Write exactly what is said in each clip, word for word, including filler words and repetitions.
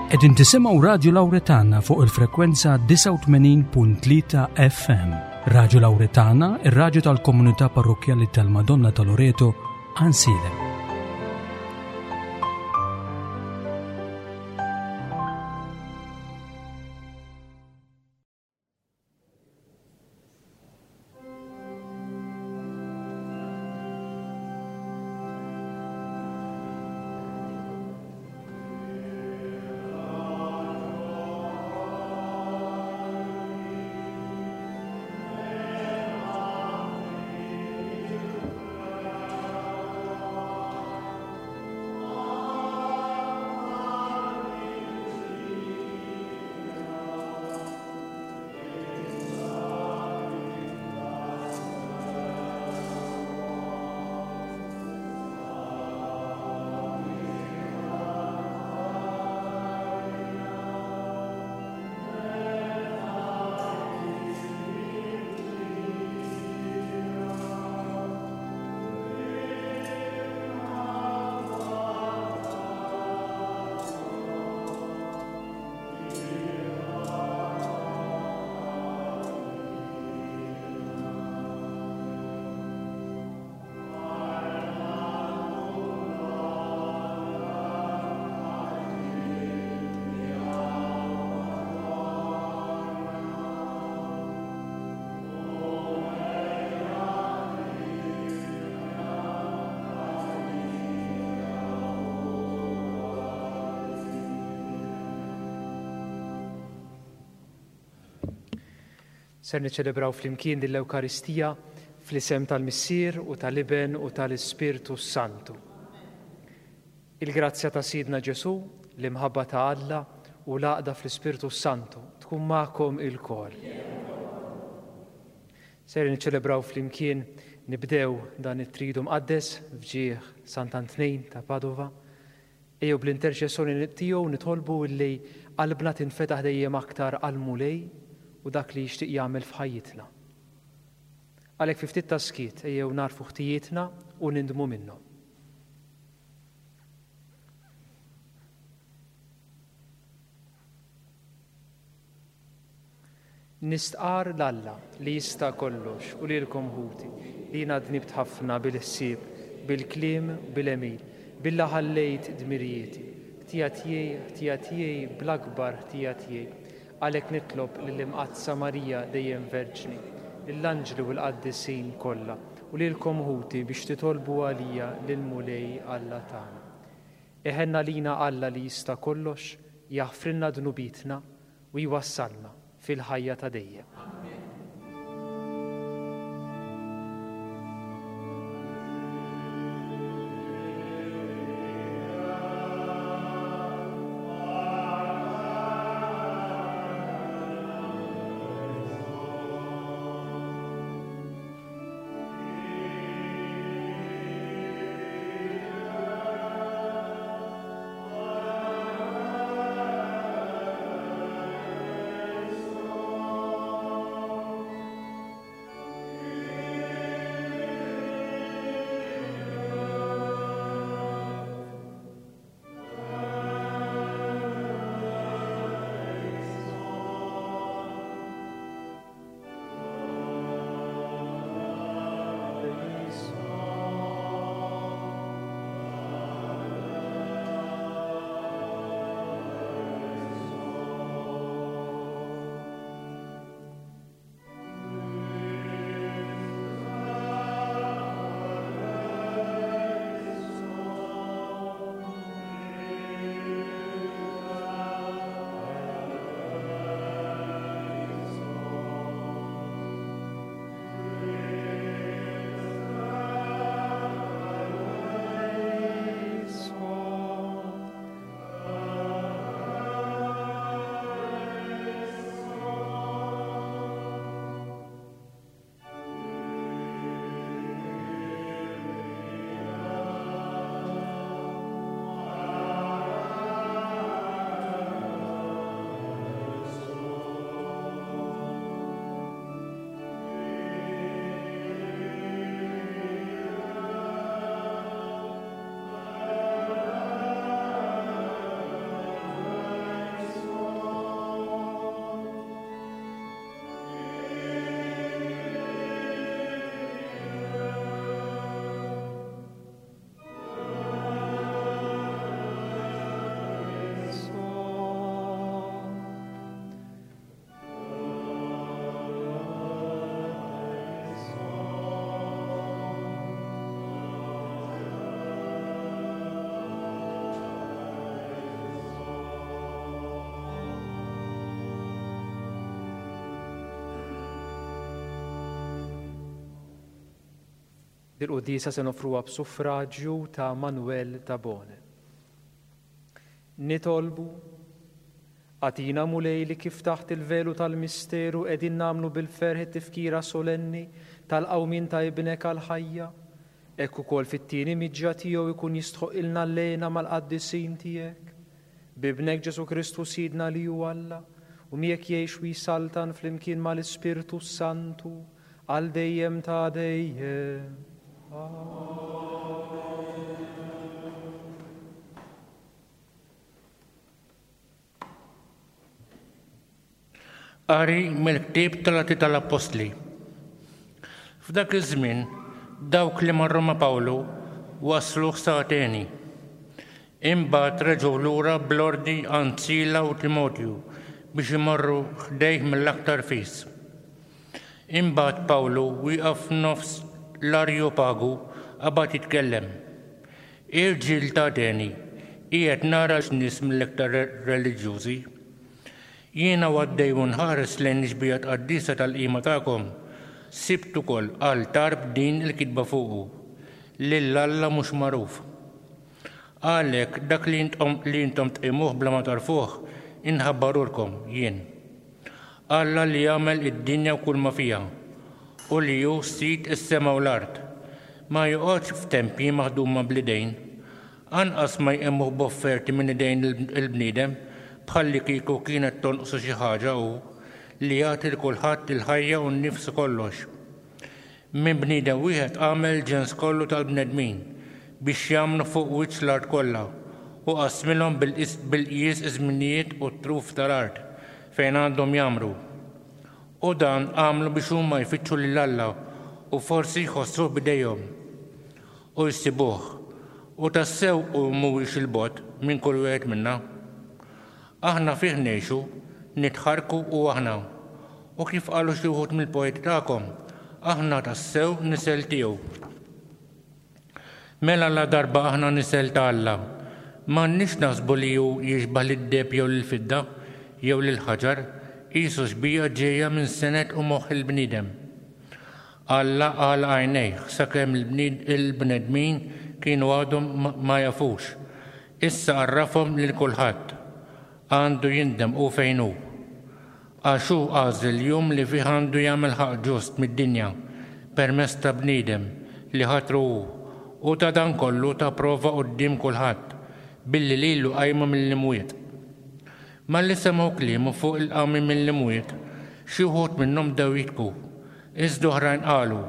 Qegħdin tisimgħu Radju Lawretana fuq il-frekwenza disgħa u tmenin punt tlieta F M. Radju Lawretana, ir-radju tal-komunità parrokkjali tal-Madonna ta' Loreto, Għajnsielem. Ser niċċelebraw flimkien din l-Ewkaristija fl-isem tal-Missier u tal-Iben u tal-Ispirtu Santu. Il-grazzja ta' Sidna Ġesu, l-imħabba ta' Alla u l-għaqda fl-Ispirtu Santu tkun magħkom ilkoll. Ser niċċelebraw flimkien nibdew dan it-tridu mqaddes f'ġieħ Sant'Antnin ta' Padova. Ejjew bl-interċessjoni tiegħu nitolbu li qalbna tinfetaħ dejjem aktar għall-Mulej u dak li jixtieq jagħmel f'ħajjitna. Għalhekk fi ftit ta' skiet ejjew narfu ħtijietna u nindmu minnhom. Nistqar l-Alla li jista' kollox u lilkom ħuti li jiena dnibt ħafna bil-ħsieb, bil-kliem, bil-għemil, billa ħallejt dmirijieti, ħtija tiegħi, ħtija tiegħi, bl-akbar ħtija tiegħi. Għalhekk nitlob lill-Imqaddsa Marija dejjem Verġni, lill-anġli u l-qaddisin kollha u lilkom ħuti biex titolbu għalija lill-Mulej Alla tagħna. Iħenna lina Alla li jista' kollox, jaħfrilna dnubietna u jwassalna fil-ħajja ta' dejjem. Dil-quddiesa se nofruha b'suffraġġju ta' Manuel Tabone. Nitolbu, agħtina Mulej li kif taħt il-velu tal-misteru qegħdin nagħmlu bil-ferħ it-tifkira solenni tal-qawmien ta' ibnek għall-ħajja, hekk ukoll fit-tieni miġja tiegħu jkun jistħoqilna l-lena mal-qaddisin tiegħek. B'ibnek Ġesu Kristu Sidna li hu Alla, u miegħek jgħix u jsaltan flimkien mal-Ispirtu Santu għal dejjem ta' dejjem. Amen. Qari mill-ktieb tal-Atti tal-Appostli. F'dak iż-żmien dawk li marru ma' Pawlu waslu sa Ateni. Imbagħad reġgħu lura bl-ordni għand Sila u Timotju biex imorru ħdejh mill-aktar fis. Imbagħad Pawlu wieqaf f'nofs l-Arjopagu qabad jitkellem. Irġiel ta' Ateni, qiegħed nara nies mill-iktar reliġjużi. Jiena għaddej u nħares lejn ix-xbieha qaddisa tal-qima tagħkom, sibt ukoll altar b'din il-kitba fuqu, lil Alla mhux magħruf. Għalhekk dak li intom li intom tqimuh bla ma tarfuh, inħabbarulkom jien. Alla li jagħmel id-dinja u kull ma fiha, u li hu sid is-sema u l-art, ma joqgħodx f'tempji maħduma bl-idejn, anqas ma jqimmuh b'offerti minn idejn il-bniedem, bħalli kieku kienet tonqsu xi ħaġa hu li jagħti lil kulħadd il-ħajja u n-nifs kollox. Minn bniedem wieħed għamel ġens kollu tal-bnedmin biex jagħmlu fuq wiċċ l-art kollha u qasmilhom bil-qjies iż-żminijiet u t-truf tal-art fejn għandhom jagħmru. U dan għamlu biex huma jfittxu lil Alla u forsi jħossuh b'idejhom u jsibuh, u tassew hu mhuwiex il-bogħod minn kull wieħed minna. Aħna fih ngħixu, nitħarku u aħna. U kif qalu xi wħud mill-poeti tagħkom, aħna tassew nisel tiegħu. Mela la darba aħna nisel ta' Alla, m'għandniex naħsbu li hu jixbah lid-deheb jew lill-fidda jew lill-ħaġar, qisu xbieha ġejja minn senet u moħħ il-bniedem. Alla għalaq għajnejh sakemm il-bnedmin kienu għadhom ma jafux. Issa għarrafhom lil kulħadd. Għandu jindem u fejn hu. Għax hu għażel jum li fih għandu jagħmel ħaqq ġust mid-dinja permezz ta' bniedem li ħatru hu, u ta' dan kollu ta' prova quddiem kulħadd billi lilu qajmu mill-imwiet. Malli semgħu kliemu fuq il-qawmien mill-imwiet, xi wħud minnhom bdew jitku, iżda oħrajn qalu,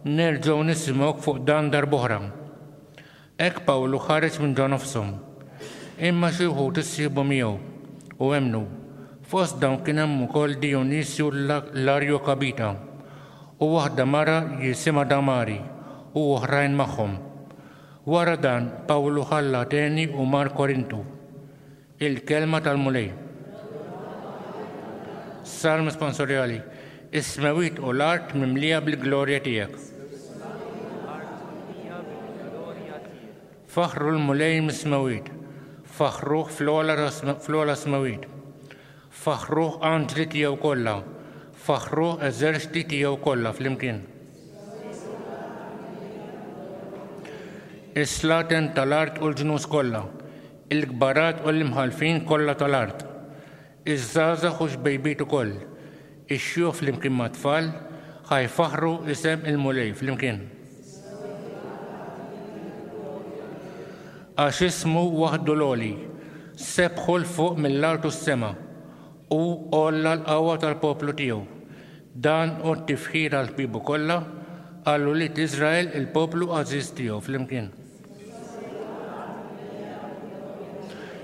nerġgħu nisimgħuk fuq dan darb'oħra. Hekk Pawlu ħareġ minn ġo nofshom. Imma xi wħud issieħbu miegħu u emmnu. Fost dawn kien hemm ukoll Dionisju l-Arjokabita u waħda mara jisimha Damari u oħrajn magħhom. Wara dan Pawlu ħalla Ateni u mar Korintu. Il-kelma tal-Mulej. Salm sponsorjali. Is-smewwiet u l-art mimlija bil-glorja tiegħek. Faħru l-Mulej mis-smewwiet, faħruh fl-ogħla smewwiet. Faħruh anġli tiegħu kollha, faħruh eżerċti tiegħu kollha flimkien. Is-slaten tal-art u l-ġnus kollha, il-kbarat u l-imħalfin kollha tal-art, iż-żgħażagħ u xbejbiet ukoll, ix-xjuħ flimkien mat-tfal, ħajfaħru isem il-Mulej flimkien. Għax ismu waħdu l-għoli, sebħu 'l fuq mill-art u s-sema, u għolla l-qawwa tal-poplu tiegħu. Dan hu t-tifħir għal ħbiebu kollha, għal ulied Iżrael il-poplu għażiż tiegħu flimkien.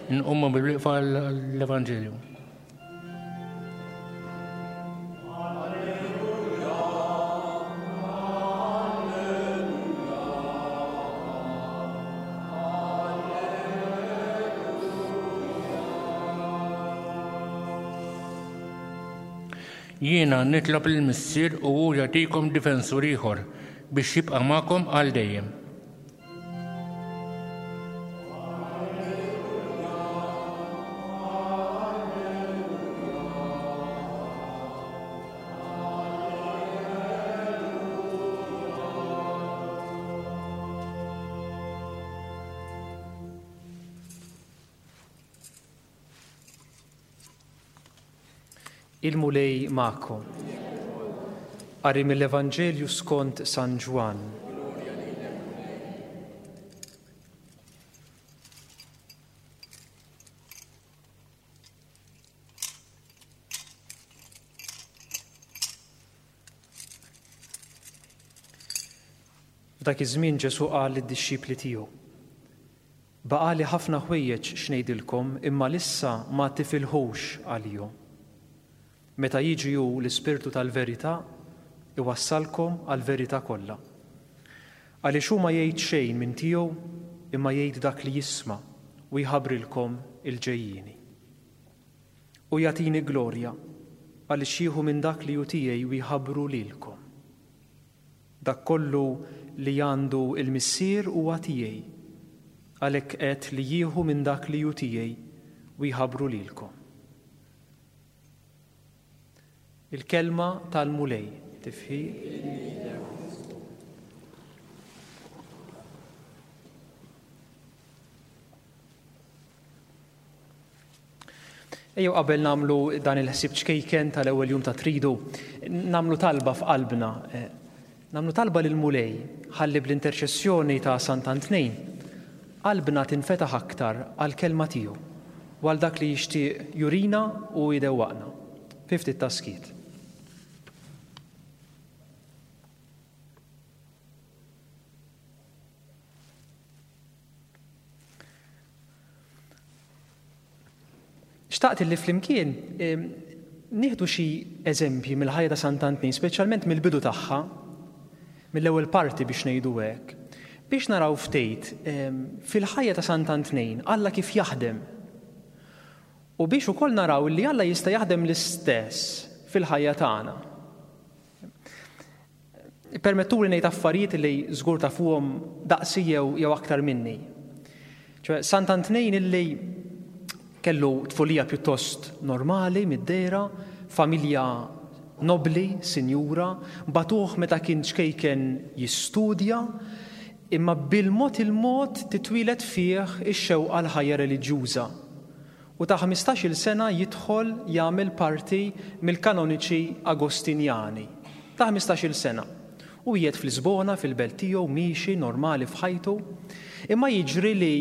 Nqumu bil-wieqfa l-Evanġelju. Jiena nitlob lill-Missier u hu jagħtikom difensur ieħor biex jibqa' magħkom għal dejjem. Il-Mulej magħkom. Qari mill-Evanġelju skont San Ġwann. F'dak iż-żmien Ġesù qal lid-dixxipli tiegħu: Baqali ħafna ħwejjeġ x'ngħidilkom, imma lissa ma tifilħux għalihom. Meta jiġi hu l-Ispirtu tal-verità, iwassalkom għall-verità kollha. Għaliex hu ma jgħid xejn minn tiegħu, imma jgħid dak li jisma' u jħabbrilkom il-ġejjieni. U jagħtini glorja għaliex jieħu minn dak li hu tiegħi u jħabbru lilkom. Dak kollu li għandu il-Missier huwa tiegħi, għalhekk qed li jieħu minn dak li hu tiegħi u jħabbru lilkom. Il-kelma tal-Mulej, tifħir. Ejjew qabel nagħmlu dan il-ħsieb ċkejken tal-ewwel jum ta' Tridu, nagħmlu talba f'qalbna. Nagħmlu talba lill-Mulej ħalli bl-interċessjoni ta' Sant'Antnin qalbna tinfetaħ aktar għall-kelma tiegħu u għal dak li jixtieq jurina u jdewwaqna. Fi ftit ta' skiet. Xtaqt li flimkien nieħdu xi eżempji mill-ħajja ta' Sant'Antnin, speċjalment mill-bidu tagħha, mill-ewwel parti biex ngħidu hekk, biex naraw ftit fil-ħajja ta' Sant'Antnin Alla kif jaħdem. U biex ukoll naraw li Alla jista' jaħdem l-istess fil-ħajja tagħna. Permettuli ngħid affarijiet li żgur tafuhom daqsi jew jew aktar minni. Ċoè Sant'Antnin illi kellu tfulija pjuttost normali mid-dehra, familja nobli, sinjura, batuh meta kien ċkejken jistudja, imma bil-mod il-mod titwieled fih ix-xewqa l-ħajja reliġjuża. U ta' ħmistax-il sena jidħol jagħmel parti mill-kanoniċi Agostinjani. Ta' ħmistax-il sena. U qiegħed fl-Lisbona, fil-belt tiegħu, miexi normali f'ħajtu, imma jiġri li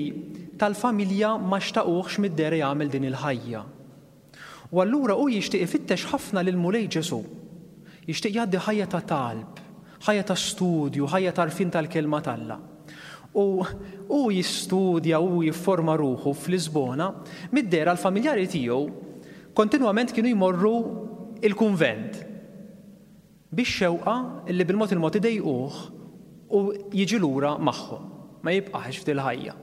tal-familja ma xtaquhx mid-dehra jagħmel din il-ħajja. U allura hu jixtieq ifittex ħafna lil Mulej Ġesù. Jixtieq jgħaddi ħajja ta' talb, ħajja ta' studju, ħajja ta' għarfien tal-kelma t'Alla. U hu jistudja u jifforma ruħu f'Lisbona, mid-dehra l-familjari tiegħu kontinwament kienu jmorru il-kunvent biex xewqa li bil-mod il-mod idejquh u jiġi lura magħhom, ma jibqax f'dil ħajja.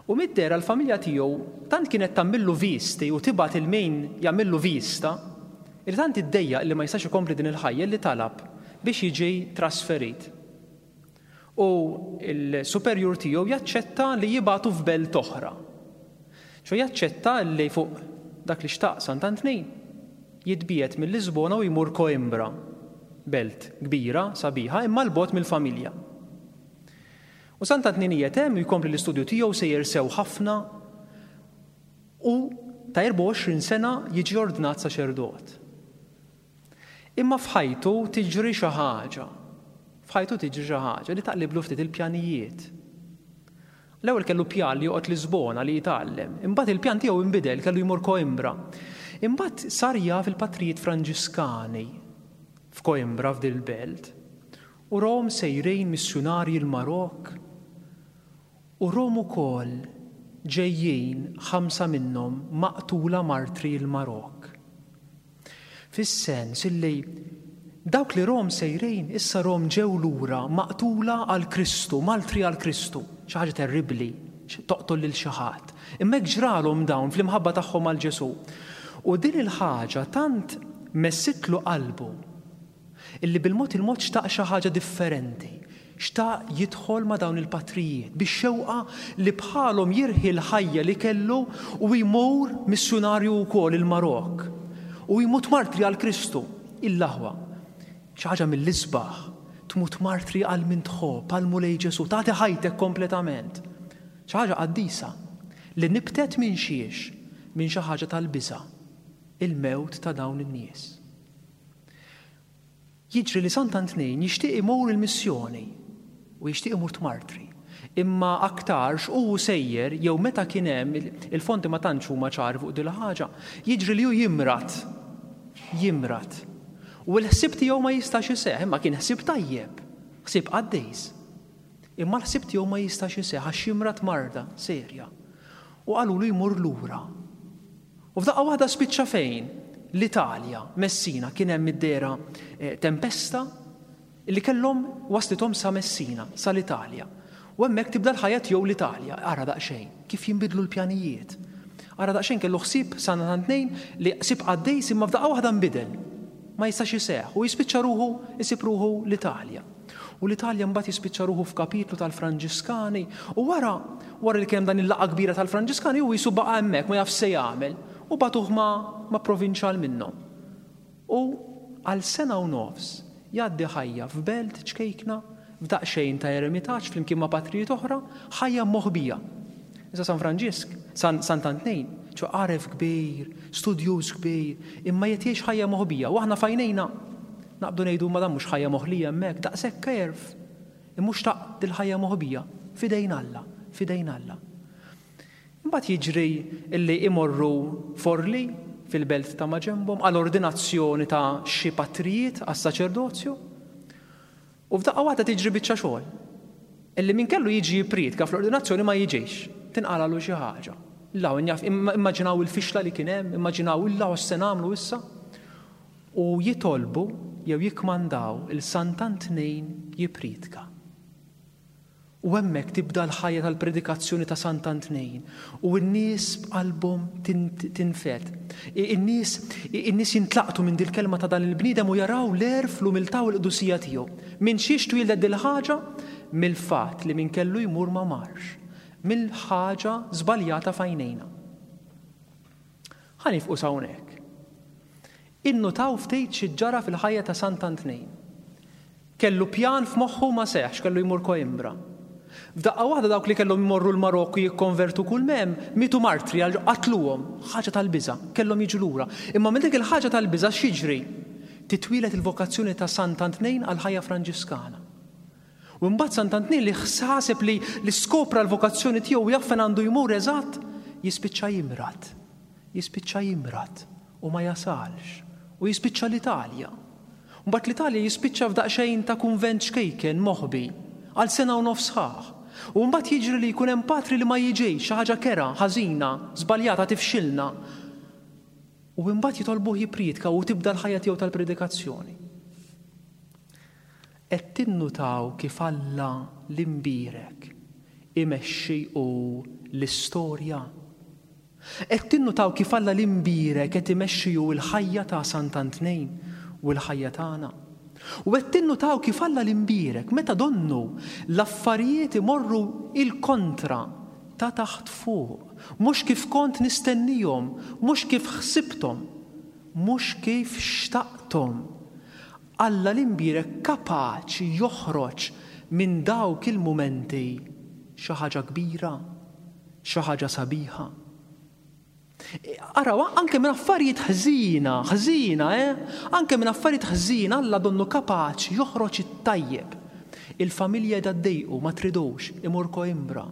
U mid-dehra l-familja tiegħu tant kienet tagħmillu visti u tibgħat il-min jagħmillu vista, li tant iddejjaq li ma jistax ikompli din il-ħajja li talab biex jiġi trasferit. U l-superjur tiegħu jaċċetta li jibgħatu f'belt oħra. Ċo jaċċetta li fuq dak li xtaq Sant'Antnin jitbiegħed mill-Lisbona u jmur Coimbra, belt kbira, sabiħa, imma l-bogħod mill-familja. U Sant'Antnin qiegħed hemm jkompli l-istudju tiegħu sejjer sew ħafna u ta' erbgħa u għoxrin sena jiġi ordnat saċerdot. Imma f'ħajtu tiġri xi ħaġa. F'ħajtu tiġri xi ħaġa li taqliblu ftit il-pjanijiet. L-ewwel kellu pjan li joqgħod Lisbona li jitgħallem, imbagħad il-pjan tiegħu inbidel, kellu jmur Coimbra. Imbagħad sar jaf il-patrijiet Franġiskani f'Coimbra f'dil belt. U rom sejrejn missjunarji l-Marok. U rom ukoll ġejjin ħamsa minnhom maqtula martri l-Marok. Fis-sens illi dawk li rom sejrejn issa rom ġew lura maqtula għal Kristu, martri għal Kristu, xi ħaġa terribbli, toqtol lil xi ħadd. Imma hekk ġralhom dawn fl-imħabba tagħhom għal Ġesù. U din il-ħaġa tant messitlu qalbu illi bil-mod il-mod xtaq xi ħaġa differenti. Xtaq jidħol ma' dawn il-patrijiet biex xewqa li bħalhom jirħi l-ħajja li kellu u jmur missjunarju wkoll il-Marok u jmut martri għal Kristu. Il-laħwa xi ħaġa mill-isbaħ, tmut martri għal min tħobb, għal Mulej Ġesù, tagħti ħajtek kompletament. Xi ħaġa qaddisa li nibtet minn xiex, minn xi ħaġa tal-biża'. Il-mewt ta' dawn in-nies. Jiġri li Sant'Antnin jixtieq imur il-missjoni u jixtieq imur tmartri. Imma aktarx u sejjer jew meta kien hemm il-fonti ma tantx huma ċari fuq din ħaġa, jiġri li hu jimrad. Jimrad. U l-ħsieb tiegħu ma jistax iseħħ, imma kien ħsieb tajjeb, ħsieb qaddis. Imma l-ħsieb tiegħu ma jistax iseħħ għax jimrad marda serja. U qalulu jmur lura. U f'daqqa waħda spiċċa fejn? L-Italja, Messina, kien hemm id-dera eh, tempesta li kellhom waslithom sa Messina, sa l-Italja. U hemmhekk tibda l-ħajja tiegħu l-Italja. Ara daqsxejn, kif jinbidlu l-pjanijiet. Ara daqsxejn kellu ħsieb San Tnejn li ħsieb qaddis imma f'daqqa waħda nbidel. Ma jistax iseħħ u jispiċċa ruħu isib ruħu l-Italja. U l-Italja mbagħad jispiċċa ruħu f'kapitlu tal-Franġiskani u wara wara li kien dan il-laqgħa kbira tal-Franġiskani u jisu baqa' hemmhekk ma jaf se jagħmel u bagħtuh ma, ma provinċjal minnhom. U għal sena u nofs jgħaddi ħajja f'belt ċkejkna f'daqsxejn ta' eremitaġġ flimkien ma' patrijiet oħra, ħajja moħbija. Issa San Franġisk, San Sant'Antnejn, ċo għaref kbir, studjuż kbir, imma qed jgħix ħajja moħbija. U aħna f'għajnejna naqbdu ngħidu ma dan mhux ħajja moħlija hemmhekk, daqshekk għerf. Imma xtaq dil-ħajja moħbija f'idejn Alla, f'idejn Alla. Imbagħad jiġri illi imorru Forli fil-belt ta' maġenbhom għal ordinazzjoni ta' xi patrijiet għas-saċerdozju. U f'daqqa waħda tiġri biċċa xogħol. Illi min kellu jiġi jippriedka fl-ordinazzjoni ma jiġix, tinqalalu xi ħaġa. Law immaġinaw il-fixla li kien hemm, immaġinaw illa se nagħmlu issa. U jitolbu jew jikkmandaw il Sant'Antnejn jippriedka. U hemmhekk tibda l-ħajja tal-predikazzjoni ta' Sant'Antnejn u n-nies b'qalbhom tinfed. In-nies in-nies jintlaqtu minn dil-kelma ta' dan il-bniedem u jaraw l-għerf, l-umiltà u l-qdusija tiegħu. Minn xiex twieldet dil-ħaġa? Mill-fatt li min kellu jmur ma marx. Mill-ħaġa żbaljata f'għajnejna. Ħa nifqu hawnhekk. Innutaw ftit xi ġara fil-ħajja ta' Sant'Antnejn. Kellu pjan f'moħħu ma seħx, kellu jmur Coimbra. F'daqqa waħda dawk li kellhom jmorru l-Marokku jikkonvertu kull mem, mitu martri għal qatluhom, ħaġa tal-biża', kellhom jiġu lura. Imma minn dik il-ħaġa tal-biża' x'jiġri? Titwieled il-vokazzjoni ta' Sant'Antnejn għal ħajja Franġiskana. U mbagħad Sant'Antnejn li ħsaseb li li skopra l-vokazzjoni tiegħu jaf fejn għandu jmur eżatt, jispiċċa jimrad. Jispiċċa jimrad u ma jasalx. U jispiċċa l-Italja. Mbagħad l-Italja jispiċċa f'daqsxejn ta' kunvent ċkejken moħbi għal sena u nofs sħaħ. U mbagħad jiġri li jkun hemm patri li ma jiġix, xi ħaġa kera, ħażina, żbaljata tifxilna. U mbagħad jitolbuh jippriedka u tibda l-ħajja tiegħu tal-predikazzjoni. Qed tinnutaw kif Alla l-imbierek imexxi u l-istorja. Qed tinnutaw kif Alla l-imbierek qed imexxi hu l-ħajja ta' Sant'Antnejn u l-ħajja tagħna. U qed tinnutaw kif Alla l-imbierek meta donnu l-affarijiet imorru il-kontra ta' taħt fuq, mhux kif kont nistennihom, mhux kif ħsibthom, mhux kif xtaqthom. Alla l-imbierek kapaċi joħroġ minn dawk il-mumenti xi ħaġa kbira, xi ħaġa sabiħa. Araw, anke minn affarijiet ħżina, ħżina, eh? Anke minn affarijiet ħżina Alla donnu kapaċi joħroġ it-tajjeb. Il-familja qiegħda ma tridux, imur Coimbra.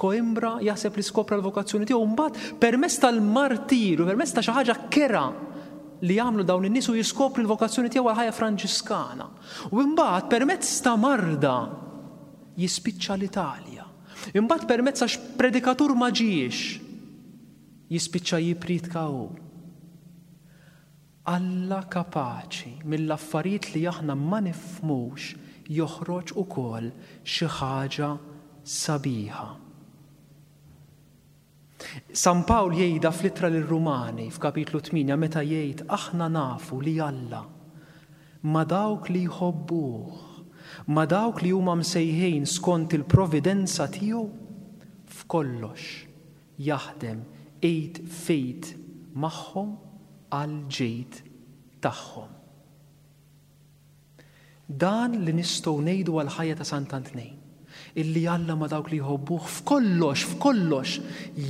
Coimbra jaħseb li skopra l-vokazzjoni tiegħu mbagħad permezz tal-martiru, permezz ta' xi ħaġa kera li jagħmlu dawn in-nies u jiskopri l-vokazzjoni tiegħu għal ħajja Franġiskana. U mbagħad permezz ta' marda jispiċċa l-Italja. Imbagħad permezz għax predikatur ma ġiex jispiċċa jippriedka hu. Alla kapaċi mill-affarijiet li aħna ma nifhmux joħroġ ukoll xi ħaġa sabiħa. San Pawl jgħidha fl-ittra lir-Rumani f'kapitlu tmienja meta jgħid aħna nafu li Alla ma dawk li jħobbuh, ma dawk li huma msejħin skont il-providenza tiegħu, f'kollox jaħdem id f'id magħhom għal ġid tagħhom. Dan li nistgħu ngħidu għal ħajja ta' Sant'Antnejn, illi Alla ma dawk li jħobbuh f'kollox, f'kollox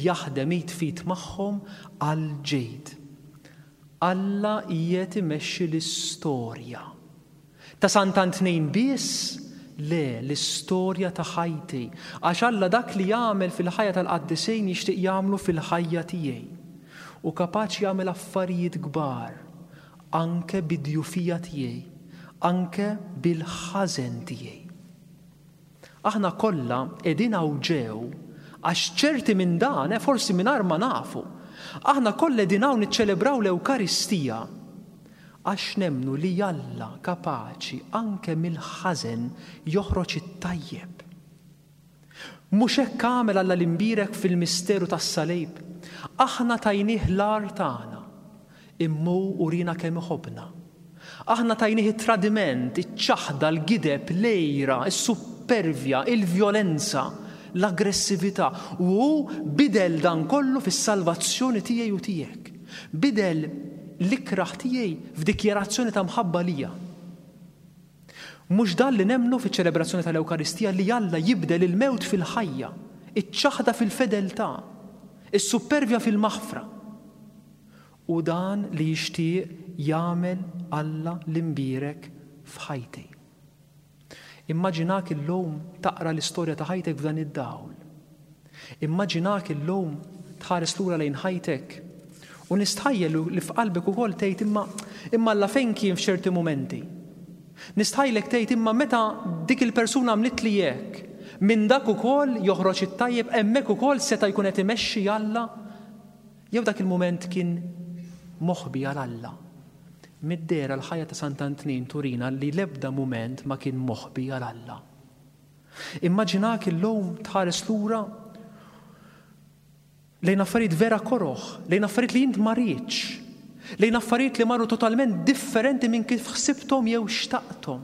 jaħdem id f'id magħhom għal ġid. Alla qiegħed imexxi l-istorja. Ta' Sant'Antnin biss? Le, l-istorja ta' ħajti. Għax Alla dak li jagħmel fil-ħajja tal-qaddisin jixtieq jagħmlu fil-ħajja tiegħi. U kapaċi jagħmel affarijiet kbar, anke bid-djufija tiegħi, anke bil-ħażen tiegħi. Aħna kollha qegħdin hawn ġew għax ċerti minn dan, eh, forsi mingħajr ma nafu. Aħna kollha qegħdin hawn niċċelebraw l-Ewkaristija għax nemmnu li Alla kapaċi anke mill-ħażen joħroġ it-tajjeb. Mhux hekk għamel Alla l-imbierek fil-misteru tas-salib. Aħna tajnieh l-agħar tagħna, imma hu urina kemm iħobbna. Aħna tajnieh it-tradiment, iċ-ċaħda, l-gideb, l-għira, is-suppervja, il-vjolenza, l-aggressività. U hu bidel dan kollu fis-salvazzjoni tiegħi u tiegħek. Bidel l-ikraħ tiegħi f'dikjarazzjoni ta' mħabba lija. Mhux dan li nemmnu fiċ-ċelebrazzjoni tal-Ewkaristija, li Alla jibdel il-mewt fil-ħajja, iċ-ċaħda fil-fedeltà, is-suppervja fil-maħfra. U dan li jixtieq jagħmel Alla l-imbierek f'ħajti. Immaġinak illum taqra l-istorja ta' ħajtek f'dan id-dawl. Immaġinak illum tħares lura lejn ħajtek u nistħajjel li f'qalbek ukoll tgħid imma, imma Alla fejn kien f'ċerti mumenti. Nistħajlek tgħid imma meta dik il-persuna għamlet li hekk, minn dak ukoll joħroġ it-tajjeb, hemmhekk ukoll seta' jkun qed imexxi Alla. Jew dak il-mument kien moħbi għal Alla. Mid-dehra l-ħajja ta' Sant'Antnin turina li l-ebda mument ma kien moħbi għal Alla. Immaġinak illum tħares lura lejn affarijiet vera koroħ, lejn affarijiet li int ma riedx, lejn affarijiet li marru totalment differenti minn kif ħsibthom jew xtaqthom.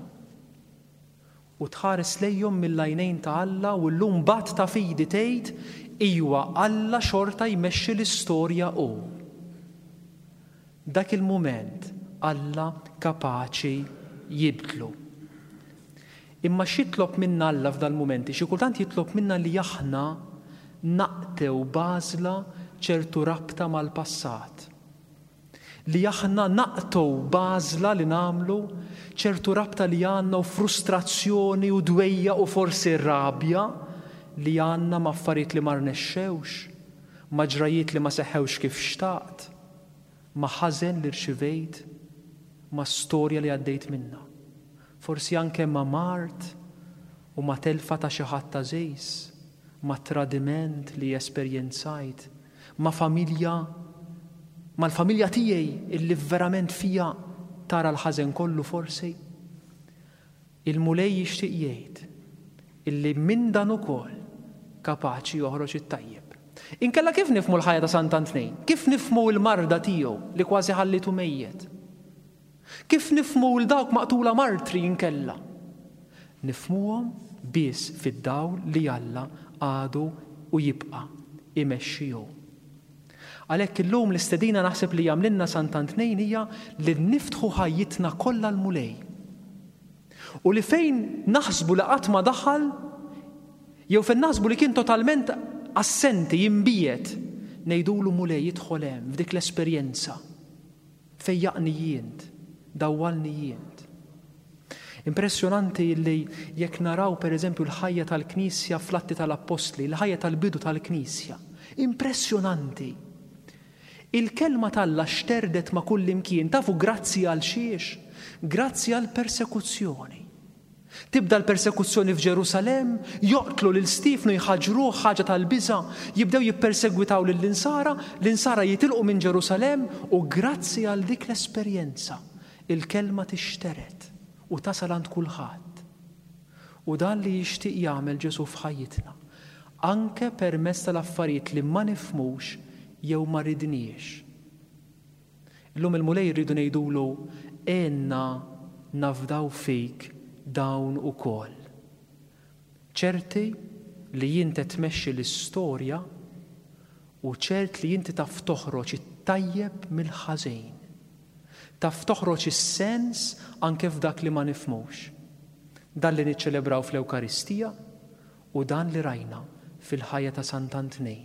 U tħares lejhom mill-għajnejn ta' Alla u llum bat ta' fidi tgħid ijwa Alla xorta jmexxi l-istorja hu. Dak il-mument Alla kapaċi jibdlu. Imma x'jitlob minna Alla f'dal-mumenti? Xi kultant jitlob minna li aħna naqtew b'għażla ċertu rabta mal-passat. Li aħna naqtew b'għażla li nagħmlu ċertu rabta li għandna u frustrazzjoni u dwejja u forsi rabja li għandna ma' affarijiet li ma rnexxewx, ma' ġrajiet li ma seħħewx kif xtaqt, ma' ħażen li rċivejt, ma' storja li għaddejt minna. Forsi anke ma' mard u ma' telfa ta' xi ħadd għażiż, ma' tradiment li esperjenzajt, ma' familja, mal-familja tiegħi illi verament fija tara l-ħażen kollu forsi. Il-Mulej jixtieq jgħid illi minn dan ukoll kapaċi joħroġ it-tajjeb. Inkella kif nifhmu l-ħajja ta' Sant'Antnin? Kif nifhmu l-marda tiegħu li kważi ħallitu mejjet? Kif nifhmu l dawk maqtula martri inkella? Nifhmuhom biss fid-dawl li Alla għadu u jibqa' imexxi hu. Għalhekk illum l-istedina naħseb li jagħmlilna Sant'Antnin hija li niftħu ħajjitna kollha l-Mulej. U li fejn naħsbu li qatt ma daħal, jew fejn naħsbu li kien totalment assenti, jimbiet, ngħidulu Mulej jidħol hemm f'dik l-esperjenza. Fejjaqni jint, dawwalni jint. Impressjonanti li jekk naraw per eżempju l-ħajja tal-Knisja fl-Atti tal-Appostli, l-ħajja tal-bidu tal-Knisja. Impressjonanti. Il-kelma t'Alla xterdet ma' kull imkien, tafu grazzi għal xiex? Grazzi għal persekuzzjoni. Tibda l-persekuzzjoni f'Ġerusalemm, joqtlu lil Stiefnu, jħaġruh ħaġa tal-biża', jibdew jippersegwitaw lill-insara, l-insara jitilqu minn Ġerusalemm u grazzi għal dik l-esperjenza il-kelma tixteret u tasal għand kulħadd. U dan li jixtieq jagħmel Ġesù f'ħajjitna, anke permezz tal-affarijiet li ma nifhmux jew ma ridniex. Illum il-Mulej rridu ngħidulu għenna nafdaw fik dawn ukoll. Ċerti li inti tmexxi l-istorja u ċert li inti taf toħroġ it-tajjeb mill-ħażin. Taf toħroġ is-sens anke f'dak li ma nifhmux. Dan li niċċelebraw fl-Ewkaristija u dan li rajna fil-ħajja ta' Sant'Antnin.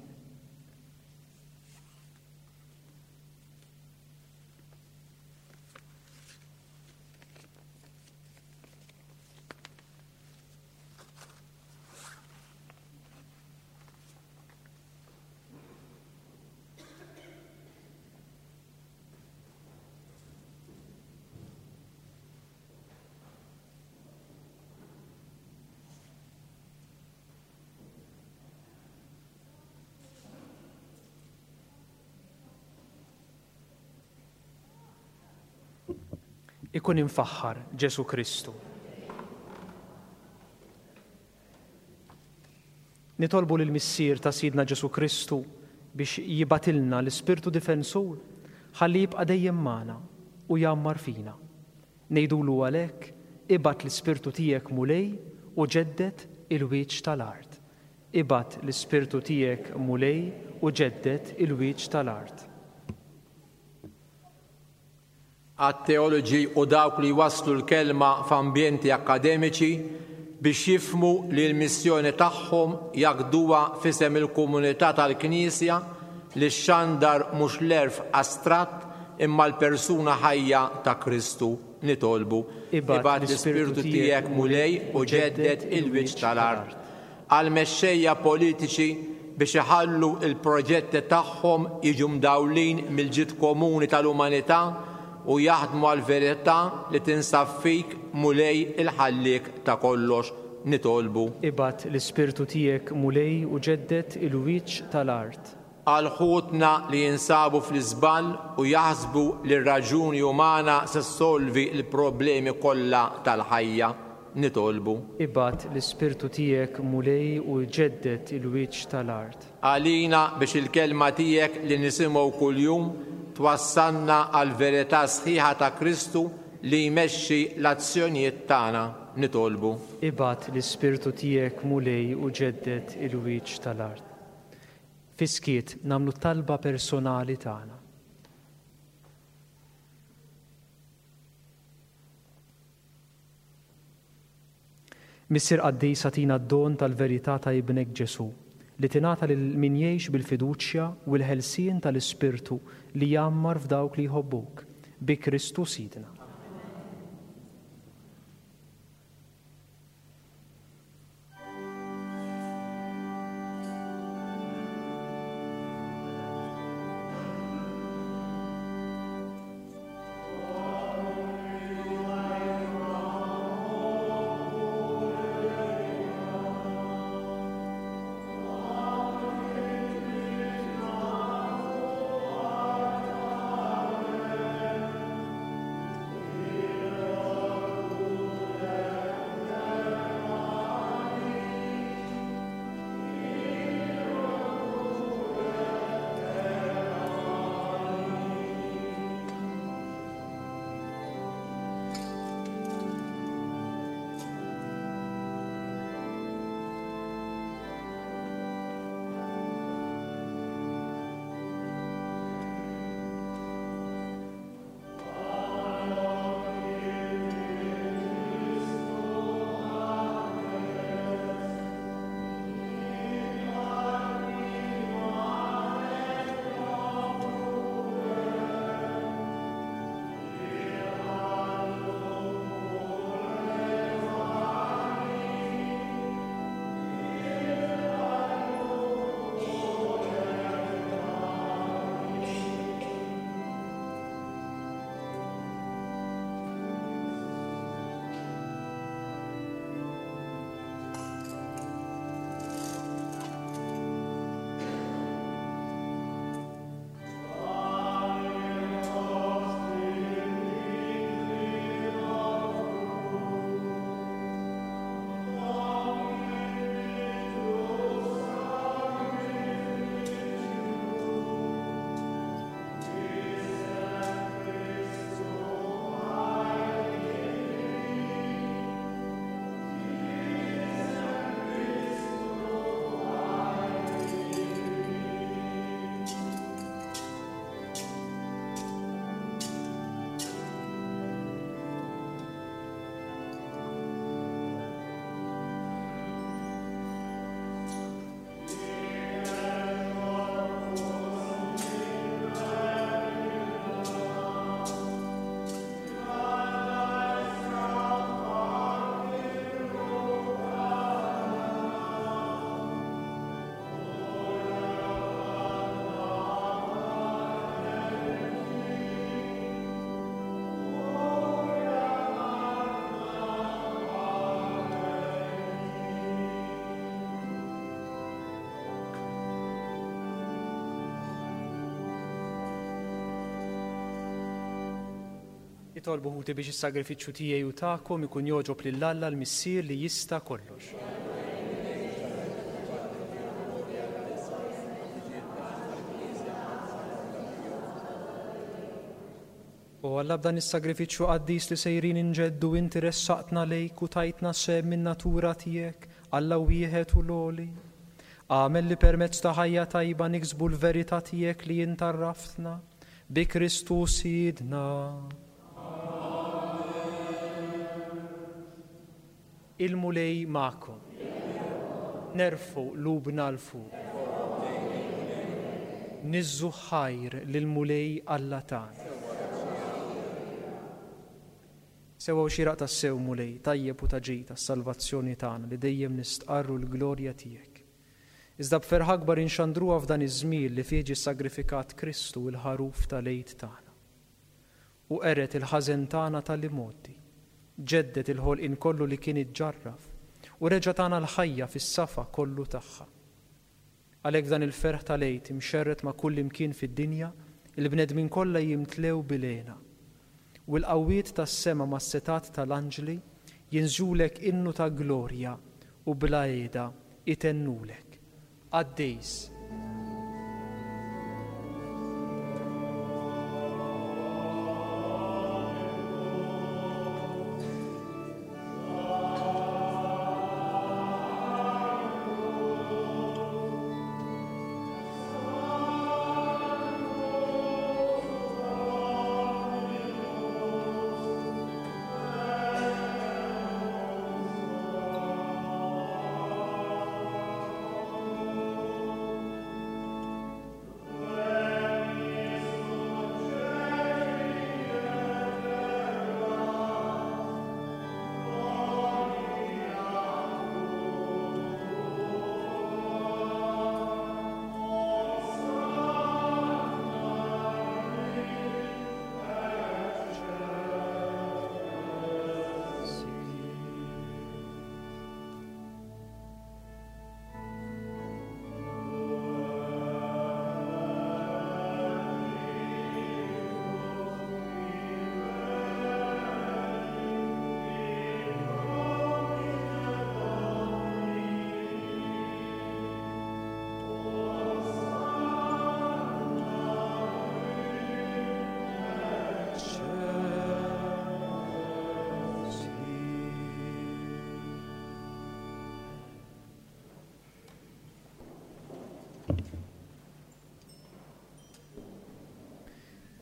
Ikun imfaħħar Ġesu Kristu. Nitolbu lil Missier ta' Sidna Ġesu Kristu biex jibatilna l-Ispirtu Difensur ħalli jibqa' dejjem magħna u jgħammar fina. Ngħidulu għalhekk, ibgħat l-Ispirtu tiegħek Mulej u ġedded il-wiċċ tal-art. Ibgħat l-Ispirtu tiegħek Mulej u ġedded il-wiċċ tal-art. Għat-teoloġi u dawk li waslu l-kelma f'ambjenti akademiċi biex jifhmu li l-missjoni tagħhom jaqduha f'isem il-komunità tal-Knisja li xxandar mhux l-għerf astratt imma l-persuna ħajja ta' Kristu. Nitolbu. Ibgħat l-Ispirtu tiegħek Mulej u ġedded il-wiċċ tal-art. Għal-mexxejja politiċi biex iħallu il-proġetti tagħhom jiġu mdawlin mill-ġid komuni tal-umanità u jaħdmu għal-verità li tinsab fik Mulej il-ħalliek ta' kollox. Nitolbu. Ibgħat l-Ispirtu tiegħek Mulej u ġedded il-wiċċ tal-art. Għal ħutna li jinsabu fl-iżball u jaħsbu li r-raġuni umana se ssolvi l-problemi kollha tal-ħajja. Nitolbu. Ibgħat l-Ispirtu tiegħek Mulej u ġedded il-wiċċ tal-art. Għalina biex il-kelma tiegħek li nisimgħu kuljum twassalna għal verità sħiħa ta' Kristu li jmexxi l-azzjonijiet tagħna. Nitolbu. Ibgħat l-Ispirtu tiegħek Mulej u ġedded il-wiċċ tal-art. Fiskiet nagħmlu talba personali tagħna. Missier qaddis, agħtina d-don tal-verità ta' ibnek Ġesu li tingħata lil min jgħix bil-fiduċja u l-ħelsien tal-Ispirtu li jgħammar f'dawk li jħobbuk, bi Kristu Sidna. Nitolbu ħuti biex is-sagrifiċċju tiegħi u tagħkom ikun jogħġob lil Alla l-Missier li jista' kollox. O Alla, b'dan is-sagrifiċċju qaddis li sejrin inġeddu inti ressaqtna lejk u tajtna sehem min-natura tiegħek, Alla wieħed u l-għoli. Agħmel li permezz ta' ħajja tajba niksbu l-verità tiegħek li int għarraftna bi Kristu Sidna. Il-Mulej magħkom. Nerfgħu qlubna 'l fuq. Niżżu ħajr lill-Mulej Alla tagħna. Sewwa u xieraq tassew Mulej, tajjeb u ta' ġid għas-salvazzjoni tagħna li dejjem nistqarru l-glorja tiegħek. Iżda b'ferħ akbar inxandruha f'dan iż-żmien li fih ġie sagrifikat Kristu il-ħaruf tal-Għid tagħna. U qered il-ħażen tagħna tal-imgħoddi, ġedded il-ħolqien kollu li kien iġġarraf u reġa' tagħna l-ħajja fis-safa kollu tagħha. Għalhekk f'dan il-ferħ tal-Għid imxerred ma' kull imkien fid-dinja, il-bnedmin kollha jimtlew bil-hena. U l-qawwiet tas-sema mas-setat tal-anġli jinżulek innu ta' glorja u bla qiegħda itennulek. Qaddis.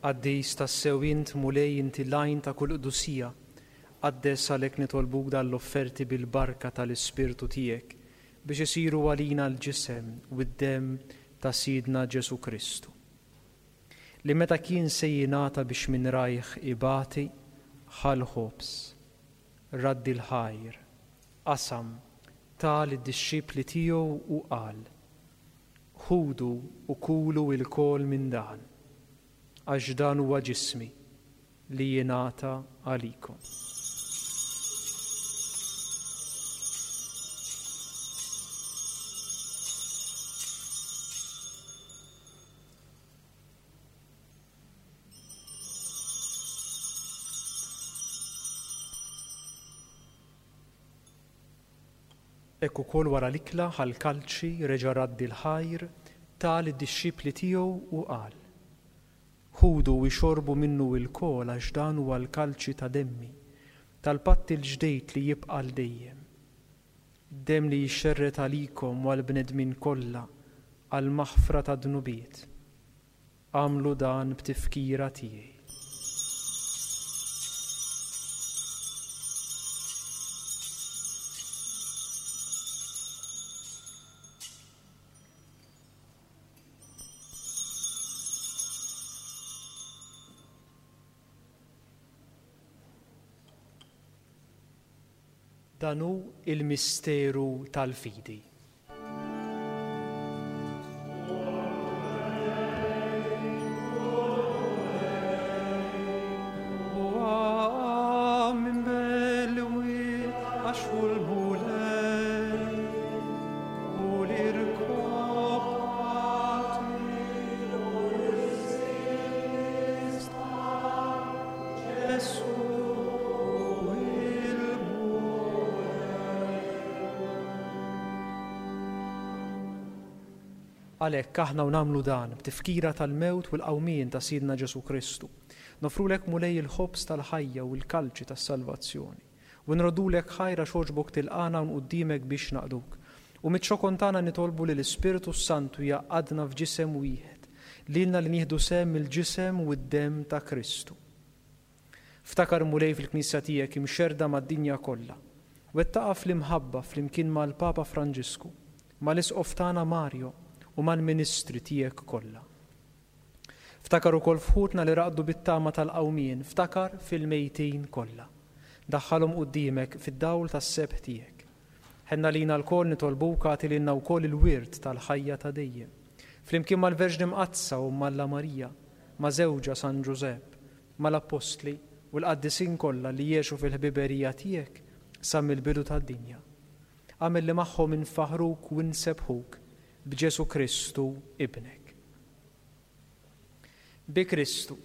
Qaddis tassew int Mulej inti l-għajn ta' kull qdusija, qaddes għalhekk nitolbuk dan l-offerti bil-barka tal-Ispirtu tiegħek biex isiru għalina l-ġisem u d-demm ta' Sidna Ġesu Kristu. Li meta kien se jingħata biex minn rajh ibati, ħa l-ħobż, raddi l-ħajr, qasam, ta lid-dixxipli tiegħu u qal: Ħudu u kulu lkoll minn dan, għax dan huwa ġismi li jingħata għalikom. Hekk ukoll wara l-ikla ħa l-kalċi, reġa' raddi l-ħajr, ta lid-dixxipli tiegħu u qal: Ħudu u ixorbu minnu lkoll għax dan huwa l-kalċi ta' demmi, tal-patt il-ġdid li jibqa' għal dejjem. Demm li jixxerred għalikom u għall-bnedmin kollha għall-maħfra ta' dnubiet. Agħmlu dan b'tifkira tiegħi. Dan hu il-misteru tal-fidi. Gesù. Għalhekk aħna u nagħmlu dan b'tifkira tal-mewt u l-qawmien ta' Sidna Ġesù Kristu. Nofrulek Mulej il-ħobż tal-ħajja u l-kalċi tas-salvazzjoni. U nroddulek ħajr għax għoġbok tilqagħna hawn quddiemek biex naqduk. U miċ-ċokon tagħna nitolbu li l-Ispirtu Santu jgħaqqadna f'ġisem wieħed, lilna li nieħdu sehem mill-ġisem u d-demm ta' Kristu. Ftakar Mulej fil-Knisja tiegħek imxerda mad-dinja kollha. Wettaqha fl-imħabba flimkien mal-Papa Franġisku, mal-Isqof tagħna Mario u mal-ministri tiegħek kollha. Ftakar ukoll f'ħutna li raqdu bit-tama tal-qawmien, ftakar fil-mejtin kollha. Daħħalhom quddiemek fid-dawl tas-sebħ tiegħek. Ħenna lina lkoll nitolbuk agħti lilna wkoll il-wirt tal-ħajja ta' dejjem. Flimkien mal-Verġni Mqaddsa u Alla Marija, ma' żewġha San Ġużepp, mal-Appostli u l-qaddisin kollha li jgħixu fil-ħbiberija tiegħek sa mill-bidu tad-dinja. Agħmel li magħhom infaħruk u nsebbħuk b'Ġesù Kristu ibnek. Bi Kristu,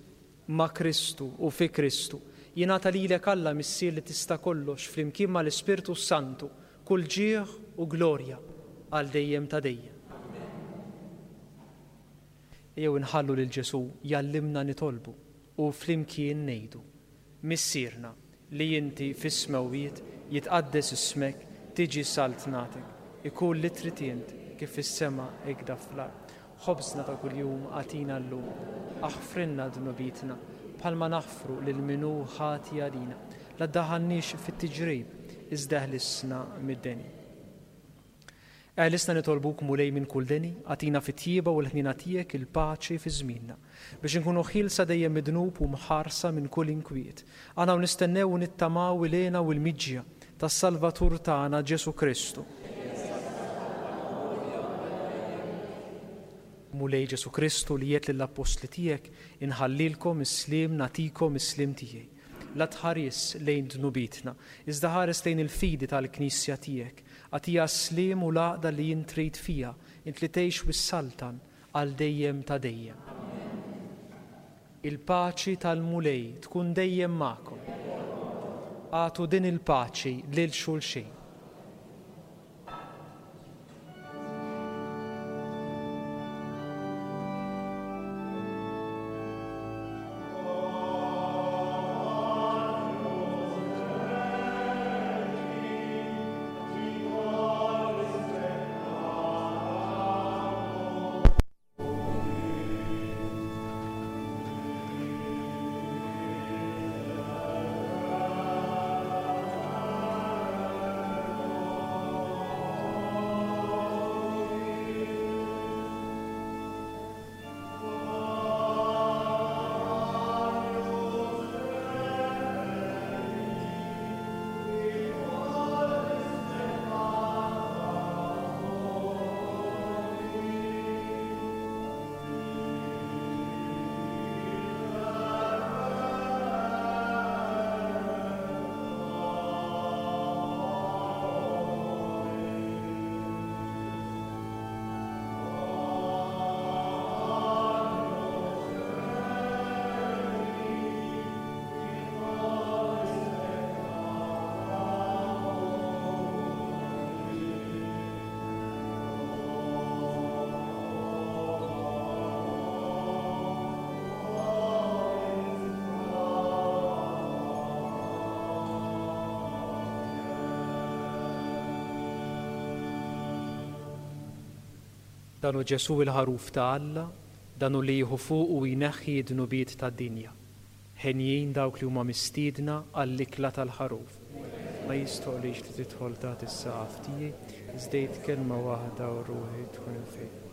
ma' Kristu u fi Kristu, jingħata lilek Alla Missier li tista' kollox flimkien mal-Ispirtu Santu, kull ġieħ u glorja għal dejjem ta' dejjem. Ejjew inħallu lil Ġesù jgħallimna nitolbu u flimkien ngħidu: Missierna li inti fis-smewwiet, jitqaddes ismek, tiġi saltnatek, ikun li trid int kif fis-sema hekk fl-art. Ħobżna ta' kuljum agħtina llum, aħfrilna dnubietna bħalma naħfru lil min hu ħati għalina. La ddaħħalniex fit-tiġrib, iżda ħlisna mid-deni. Eħlisna nitolbuk Mulej minn kull deni, agħtina fit-tjieba u l-ħniena tiegħek il-paċi fi żmienna, biex inkunu ħielsa dejjem mid-dnub u mħarsa minn kull inkwiet. Aħna u nistennew u nittamaw il-hena u l-miġja tas-Salvatur tagħna Ġesù Kristu. Mulej Ġesù Kristu li għedt lill-appostli tiegħek, inħallilkom is-sliem nagħtikom is-sliem tiegħi. La tħares lejn dnubietna, iżda ħares lejn il-fidi tal-Knisja tiegħek. Agħtiha s-sliem u l-għaqda li int trid fiha, int li tgħix u ssaltan għal dejjem ta' dejjem. Il-paċi tal-Mulej tkun dejjem magħkom. Agħtu din il-paċi lil xulxin. Dan hu Ġesù il-ħaruf ta' Alla, dan hu li jieħu fuq u jneħħi d-dnubiet tad-dinja. Henjin dawk li huma mistiedna għall-ikla tal-ħaruf. Ma jistħoqlix li tidħol taħt is-saqaf tiegħi, iżda għid kelma waħda u ruħi tkun imfejqa.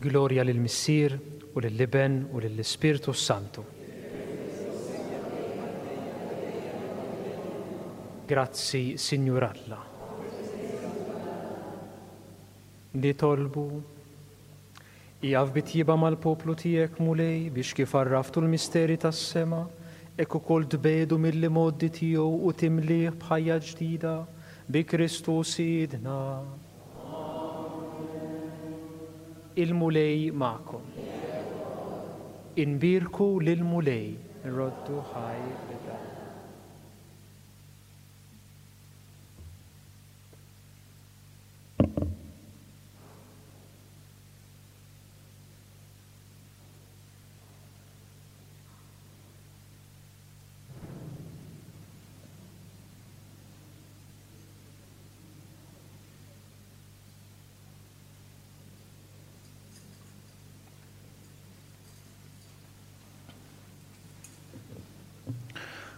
Glorja lill-Missier u lill-Iben u lill-Ispirtu Santu. Grazzi, Sinjur Alla. Nitolbu. Ieqaf bitjiba mal-poplu tiegħek, Mulej, biex kif għarraftu l-misteri tas-sema, hekk ukoll tbedu mill-imgħoddi tiegħu u timlih b'ħajja ġdida bi Kristu Sidna. Il-Mulej magħkom. Inbierku lill-Mulej, nroddu ħaj lil Alla.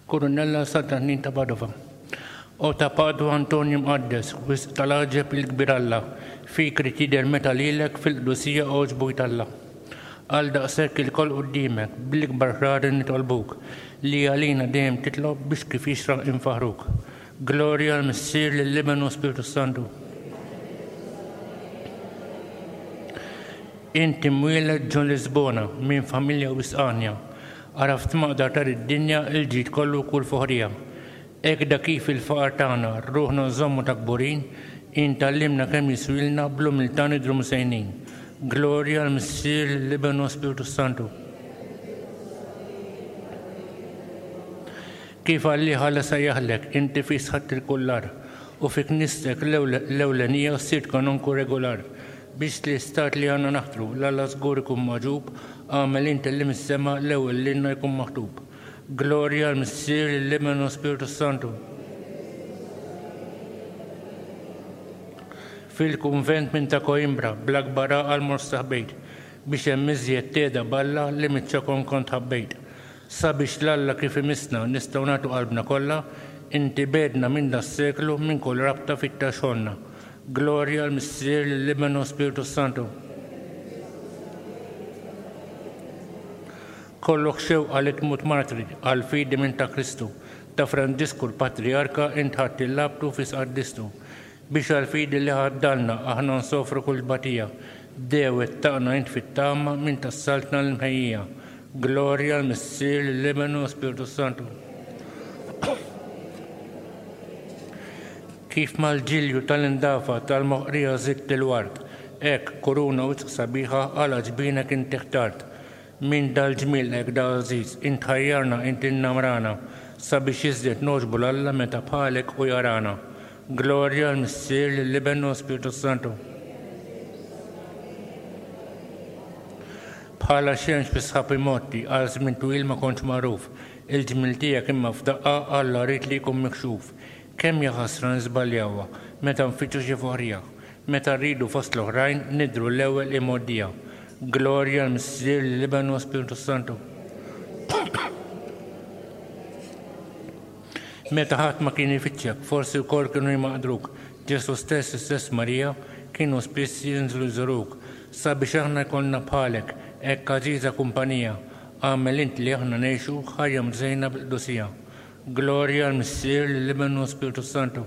Kurunella Sant'Annin ta' Padova. O ta' Padua Antonio Mqaddes, wisq tal-għaġeb il-kbir Alla, fik rid jidher meta lilek fil-qdusija għoġbu jtalla. Għal daqshekk ilkoll quddiemek, bl-ikbar ħrari nitolbuk, li għalina dejjem titlob biex kif jixraq infaħruk. Glorja l-Missier, lill-Iben u Spiritu Santu. Inti mwieled ġo Lisbona minn familja wisqanja, għaraft maqdar tar id-dinja il-ġid kollu kull foħrija. Hekk da kif il-faqar tagħna ruħna nżommu ta' kburin, intallimna kemm jiswilna bl-umiltà nidhru msejnin. Glorja l-Missier, l-Iben u Spiritu Santu. Kif għalli ħalla sejjaħlek, inti fi sħatt il-kullar, u fi knistek l-ewlenija sirt kanonku regolar, biex l-istat li għandna naħtru, l-Alla żgur ikun magħġub, għamel inti li mis-sema l-ewwel lilna jkun maħtub. Glorja l-Missier, l-Iben u Spiritu Santu. Fil-kunvent minn ta' Coimbra, bl-akbar għaqal mort staħbejt, biex hemm iżjed teda b'Alla li miċ-ċokon kont ħabbejt. Sabiex l-Alla kif imissna nistgħu nagħtu qalbna kollha, inti bedna minn das-seklu minn kull rabta fit-taxxonna. Glorja l-Missier, l-Iben u Spiritu Santu. Kollok xewqa li tmut martri għal fidi minn ta' Kristu, ta' Franġisku l-Patriarka int ħadd il-labtu fis qaddistu, biex għal fidi li ħaddalna aħna nsofru kull batija, dewet taqna int fit-tama minn tas-saltna l-mħejjija. Glorja l-Missier, l-Iben u Spiritu Santu. Kif mal-ġilju tal-indafa tal-moħqrija żidt il-ward, hekk kuruna wisq sabiħa għal ġbinek inti ħtart. Min dal-ġmiel hekk da għażiż, int ħajjarna, int innamrana, sabiex iżjed nogħġbu 'l Alla meta bħalek u jarana. Glorja l-Missier, lill-Iben u Spiritu Santu. Bħala xemx fi sħab imgħotti, għal żmien twil ma kontx magħruf, il-ġmiel tiegħek imma f'daqqa Alla ried li jkun mikxuf. Kemm jaħasra niżbaljawha meta nfittxu xi foħrija, meta rridu fost l-oħrajn nidhru l-ewwel imgħoddija. Glorja l-Missier, l-Iben u Spiritu Santu. Meta ħadd ma kien ifittxek, forsi wkoll kienu jmaqdruk, Ġesu stess, istess Marija, kienu spiss jinżlu jżuruk, sabiex aħna jkollna bħalek, hekk għażiża kumpanija, agħmel int li aħna ngħixu ħajja mżejna bil-qdusija. Glorja l-Missier, lill-Iben u Spiritu Santu.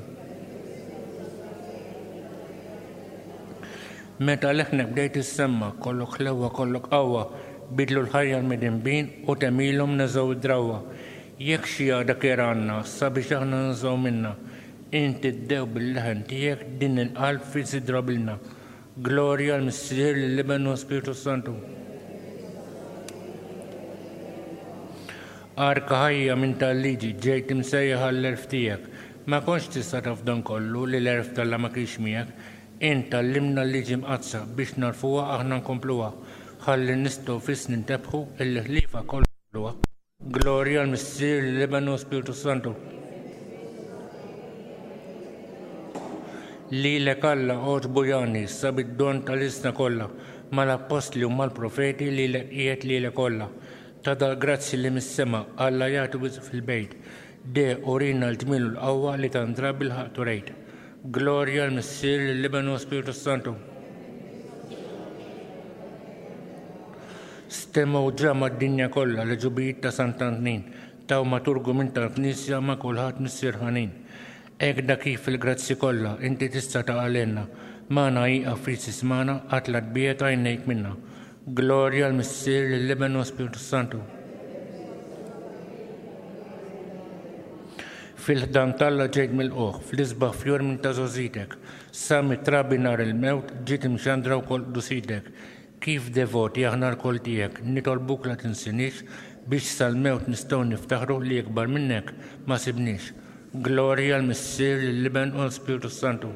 Meta leħnek bdejt issemma, kollok ħlewwa, kollok qawwa, bidlu l-ħajja l-midinbin u temilhom neżgħu id-drawwa. Jekk xi għada kier għandna, sabiex aħna nżgħu minna, inti ddew bil-leħen tiegħek din il-qalb fi sidrabilna. Glorja l-Missier, lill-Iben u Spiritu Santu. Arka ħajja minn tal-liġi ġejt imsejjaħ għall-għerf tiegħek. Ma kontx tista' taf dan kollu li l-għerf t'Alla ma kienx miegħek. Int għallimna l-liġi mqaddsa biex narfuha aħna nkompluha. Ħalli nistgħu fis nintebħu illi ħlifa kollu. Glorja l-Missier, l-Iben u Spiritu Santu. Lilek Alla għoġbu jani sab id-don tal-isna kollha, mal-appostli u mal-profeti lilek qiegħed lilek kollha. Ta' dal-grazzi li mis-sema Alla jagħti wisq fil-bejt. De urina l-ġmiel u l-qawwa li tandra bil-ħaqq turejt. Glorja l-Missier, l-Iben u Spiritu Santu. Stemgħu ġa mad-dinja kollha l-għeġubijiet ta' Sant'Antnin, taw maturgu minn tal-Knisja ma' kulħadd missier ħanin. Hekk da kif fil-grazzi kollha inti tista' taqalilna, magħna ieqaf ftit tismagħna, qatt la tbiegħed għajnejk minna. Glorja l-Missier, lill-Iben u Spiritu Santu. Fil-ħdan t'Alla ġejt milqugħ, fl-isbaħ fjur minn ta' żgħożitek. Sa mit-trabi nhar il-mewt ġiet imxandra wkoll qdusitek. Kif devoti aħna lkoll tiegħek, nitolbuk la tinsiniex biex sal-mewt nistgħu niftaħru li ikbar minnek ma sibniex. Glorja l-Missier, lill-Iben u l-Spiritu Santu.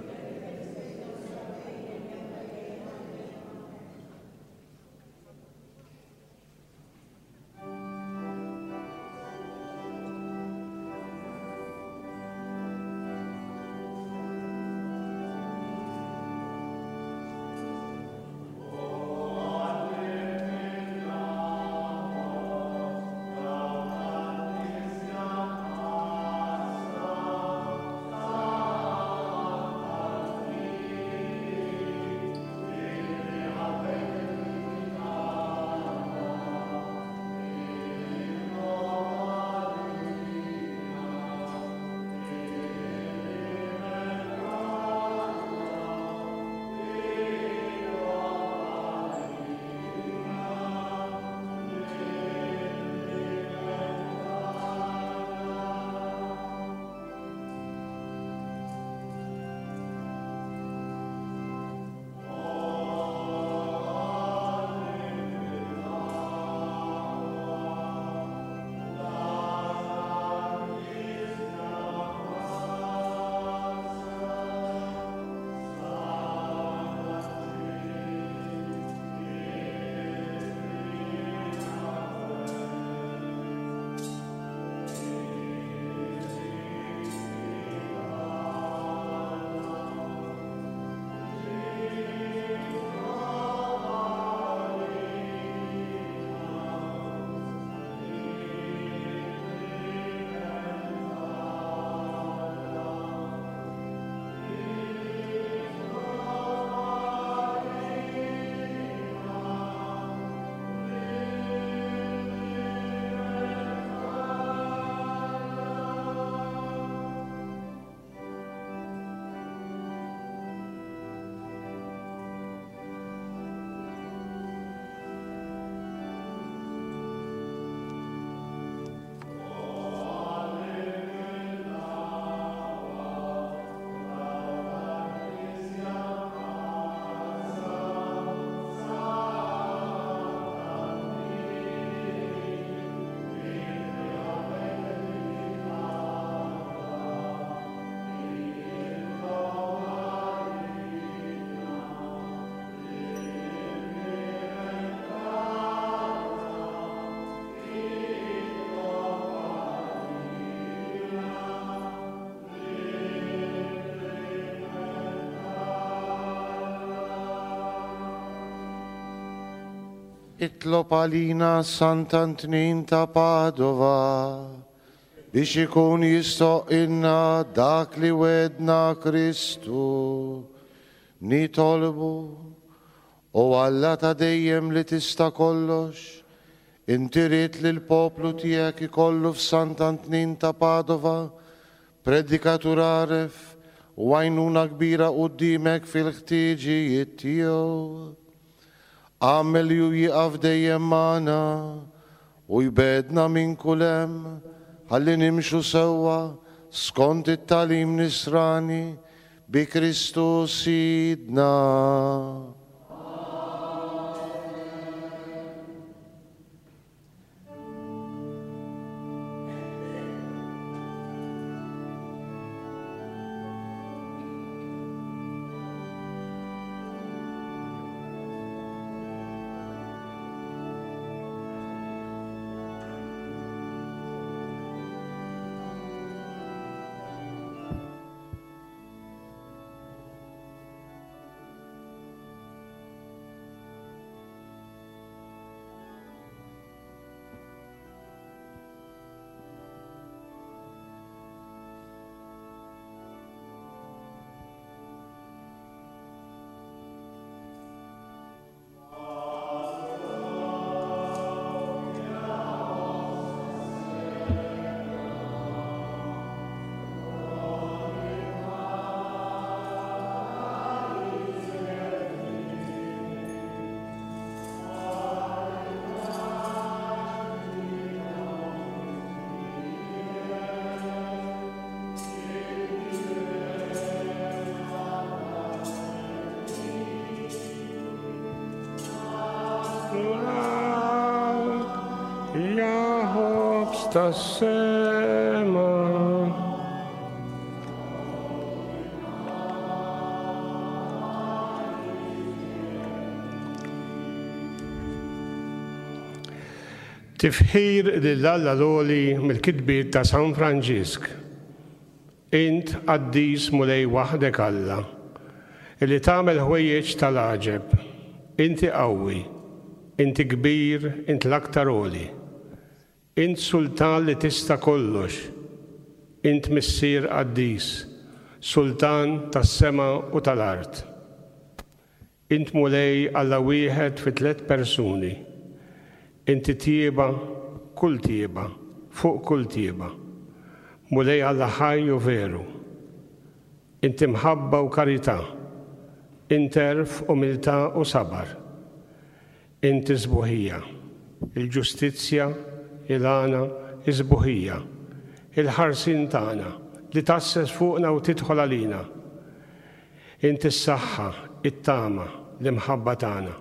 Itlob għalina Sant'Antnin ta' Padova biex ikun jistoqilna dak li wedna Kristu. Nitolbu, o Alla ta' dejjem li tista' kollox, inti ridt li l-poplu tiegħek ikollu f'Sant'Antnin ta' Padova predikatur għaref u għajnuna kbira quddiemek fil-ħtiġijiet tiegħu. Agħmel li hu jieqaf dejjem magħna u jbegħedna minn kull hemm ħalli nimxu sewwa skont it-tagħlim nisrani bi Kristu Sidna. Tas-sema. Tifħir lil Alla l-Għoli mill-kitbiet ta' San Franġisk. Int qaddis Mulej waħdek Alla, illi tagħmel ħwejjeġ tal-għaġeb. Inti qawwi, inti kbir, int l-aktar għoli. Int sultan li tista' kollox. Int missier qaddis, sultan tas-sema u tal-art. Int Mulej Alla wieħed fi tliet persuni. Inti tjieba, kull tjieba, fuq kull tjieba. Mulej Alla ħaj u veru. Inti mħabba u karità. Int għerf, umiltà u sabar. Inti sbuħija, il-ġustizzja, il-għana, is-sbuħija, il-ħarsien tagħna li tasses fuqna u tidħol għalina. Inti s-saħħa, it-tama, l-imħabba tagħna.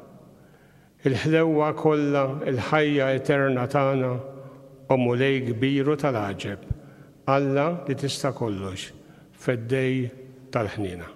Il-ħlewwa kollha, il-ħajja eterna tagħna, o Mulej kbir u tal-għaġeb, Alla li tista' kollox, feddej tal-ħniena.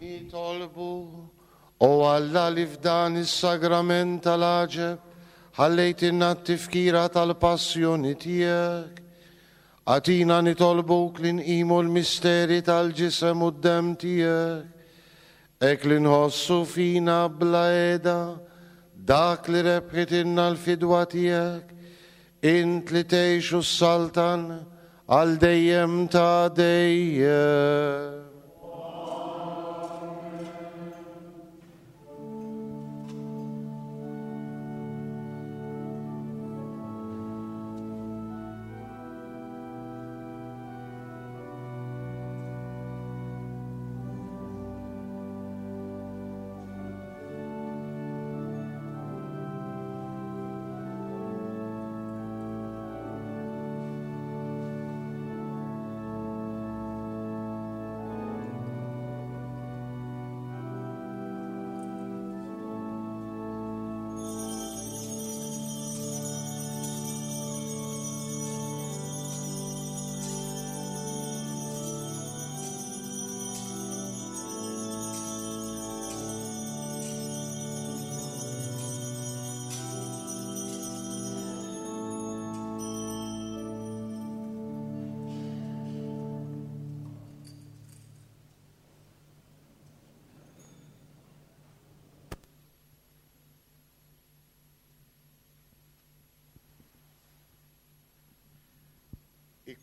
Nitolbu, o Alla li f'dan is-sagrament tal-għaġeb ħallejtilna t-tifkira tal-passjoni tiegħek. Agħtina nitolbuk li nqimu l-misteri tal-ġisem u d-demm tiegħek, hekk li nħossu fina bla qiegħda dak li rebħitilna l-fidwa tiegħek, int li tgħix u s-saltan għal dejjem ta' dejjem.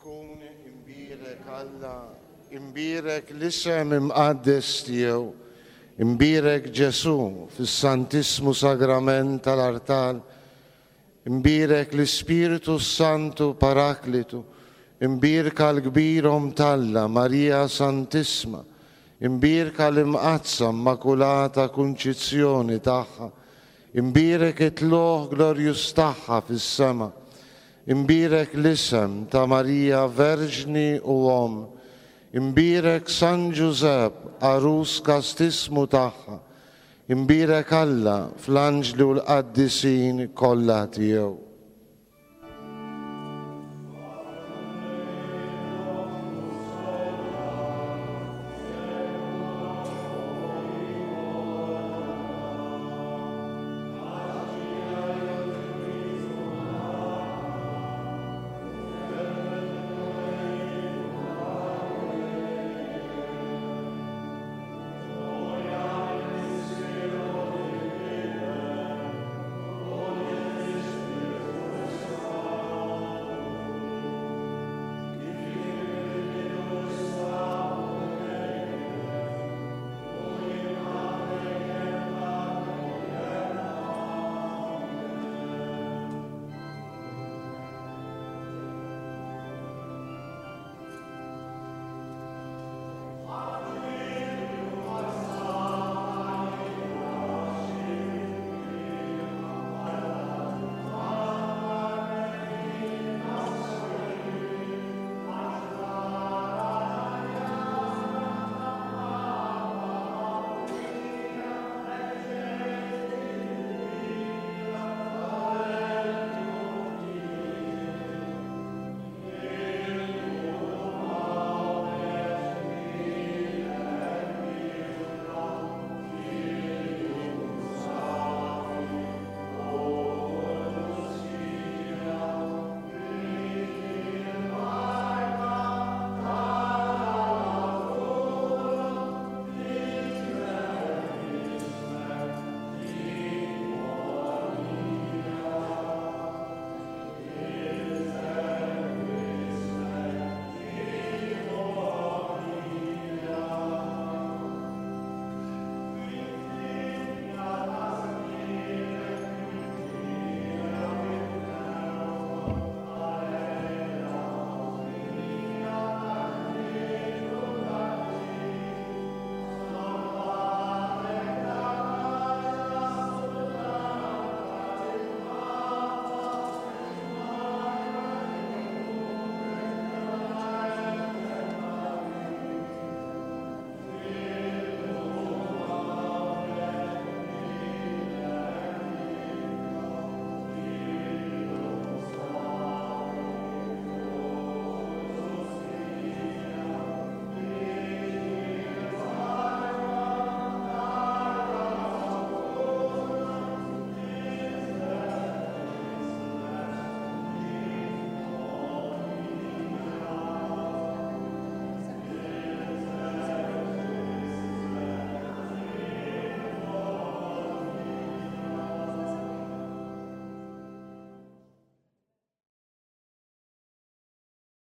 Ikun imbierek Alla, imbierek l-isem imqaddes tiegħu, imbierek Ġesù fis-Santissmu Sagrament tal-Artal, imbierek l-Ispirtu Santu Paraklitu, imbierka l-kbir Omm t'Alla Marija Santissma, imbierka l-Imqaddsa Immakulata Kunċizzjoni tagħha, imbierek it-tlugħ glorjuż tagħha fis-sema, imbierek l-isem ta' Marija Verġni u Omm, imbierek San Ġużepp għarus kastismu tagħha, imbierek Alla fl-anġli u l-qaddisin kollha tiegħu.